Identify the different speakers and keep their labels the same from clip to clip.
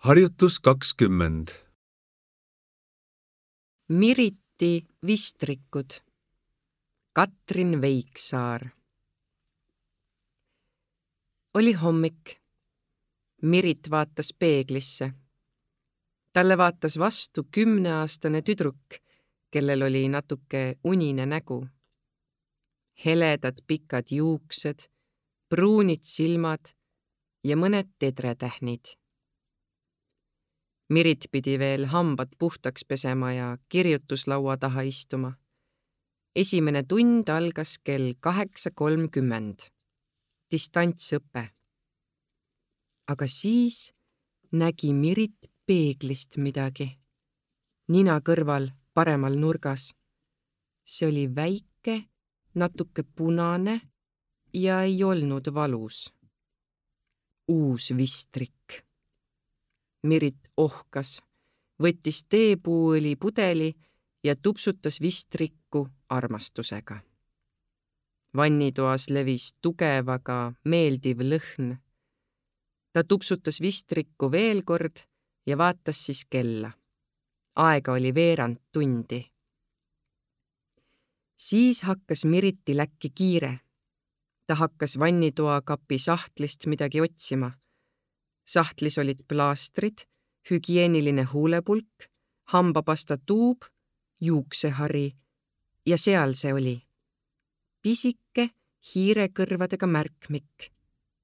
Speaker 1: Harjutus 20.
Speaker 2: Miriti vistrikud. Katrin Veiksaar. Oli hommik. Mirit vaatas peeglisse. Talle vaatas vastu 10-aastane tüdruk, kellel oli natuke unine nägu. Heledad pikad juuksed, pruunid silmad ja mõned tedretähnid. Mirit pidi veel hambad puhtaks pesema ja kirjutuslaua taha istuma. Esimene tund algas kell 8:30. Distantsõpe. Aga siis nägi Mirit peeglist midagi. Nina kõrval paremal nurgas. See oli väike, natuke punane ja ei olnud valus. Uus vistrik. Mirit ohkas, võttis teepuuõli pudeli ja tupsutas vistrikku armastusega. Vannitoas levis tugev, aga meeldiv lõhn. Ta tupsutas vistrikku veel kord ja vaatas siis kella. Aega oli veerand tundi. Siis hakkas Miritil äkki kiire. Ta hakkas vannitoa kapi sahtlist midagi otsima. Sahtlis olid plaastrid, hügieeniline huulepulk, hambapasta tuub, juuksehari ja seal see oli. Pisike hiirekõrvadega märkmik,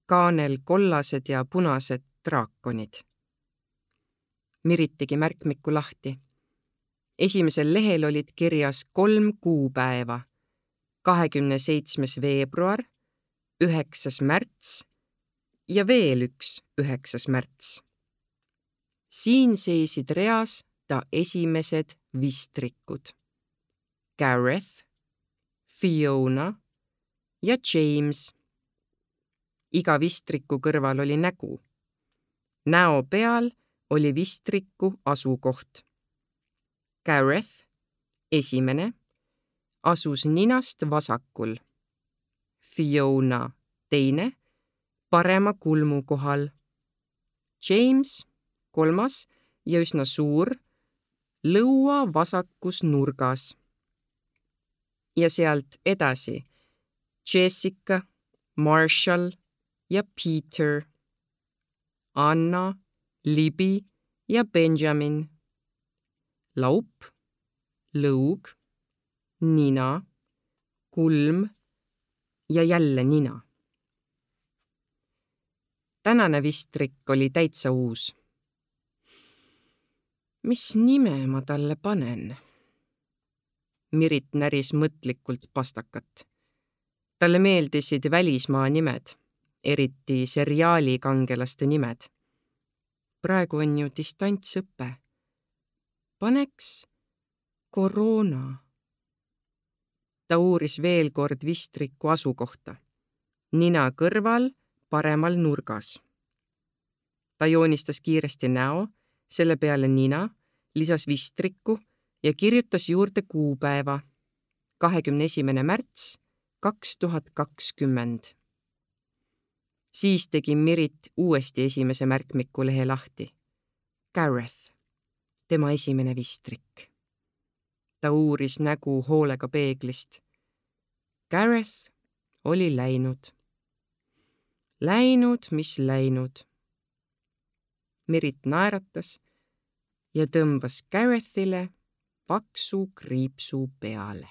Speaker 2: kaanel kollased ja punased draakonid. Mirit tegi märkmiku lahti. Esimesel lehel olid kirjas 3 kuupäeva: 27. veebruar, 9. märts ja veel üks 9. märts. Siin seisid reas ta esimesed vistrikud. Gareth, Fiona ja James. Iga vistriku kõrval oli nägu. Näo peal oli vistriku asukoht. Gareth, esimene, asus ninast vasakul. Fiona, teine, parema kulmu kohal. James, kolmas ja üsna suur, lõua vasakus nurgas. Ja sealt edasi Jessica, Marshall ja Peter, Anna, Libby ja Benjamin, laup, lõug, nina, kulm ja jälle nina. Tänane vistrik oli täitsa uus. Mis nime ma talle panen? Mirit näris mõtlikult pastakat. Talle meeldisid välismaa nimed, eriti seriaalikangelaste nimed. Praegu on ju distantsõpe. Paneks Koroona. Ta uuris veel kord vistriku asukohta. Nina kõrval paremal nurgas. Ta joonistas kiiresti näo, selle peale nina, lisas vistriku ja kirjutas juurde kuupäeva 21. märts 2020. Siis tegi Mirit uuesti esimese märkmiku lehe lahti. Gareth, tema esimene vistrik. Ta uuris nägu hoolega peeglist. Gareth oli läinud. Läinud, mis läinud. Mirit naeratas ja tõmbas Garethile paksu kriipsu peale.